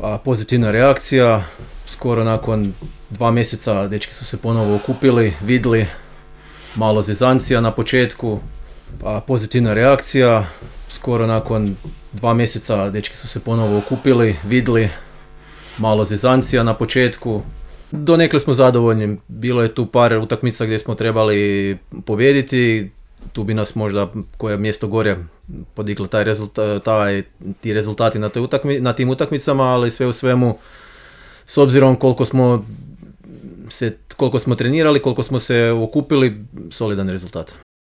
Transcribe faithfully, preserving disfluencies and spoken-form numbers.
A pozitivna reakcija, skoro nakon dva mjeseca dečki su se ponovo okupili, vidli, malo zezancija na početku. A pozitivna reakcija, skoro nakon dva mjeseca dečki su se ponovo okupili, vidli, malo zezancija na početku. Donekle smo zadovoljni, bilo je tu par utakmica gdje smo trebali pobijediti, tu bi nas možda koje mjesto gore podiglo taj rezultat, taj, ti rezultati na, toj utakmi, na tim utakmicama, ali sve u svemu, s obzirom koliko smo, se, koliko smo trenirali, koliko smo se okupili, solidan rezultat.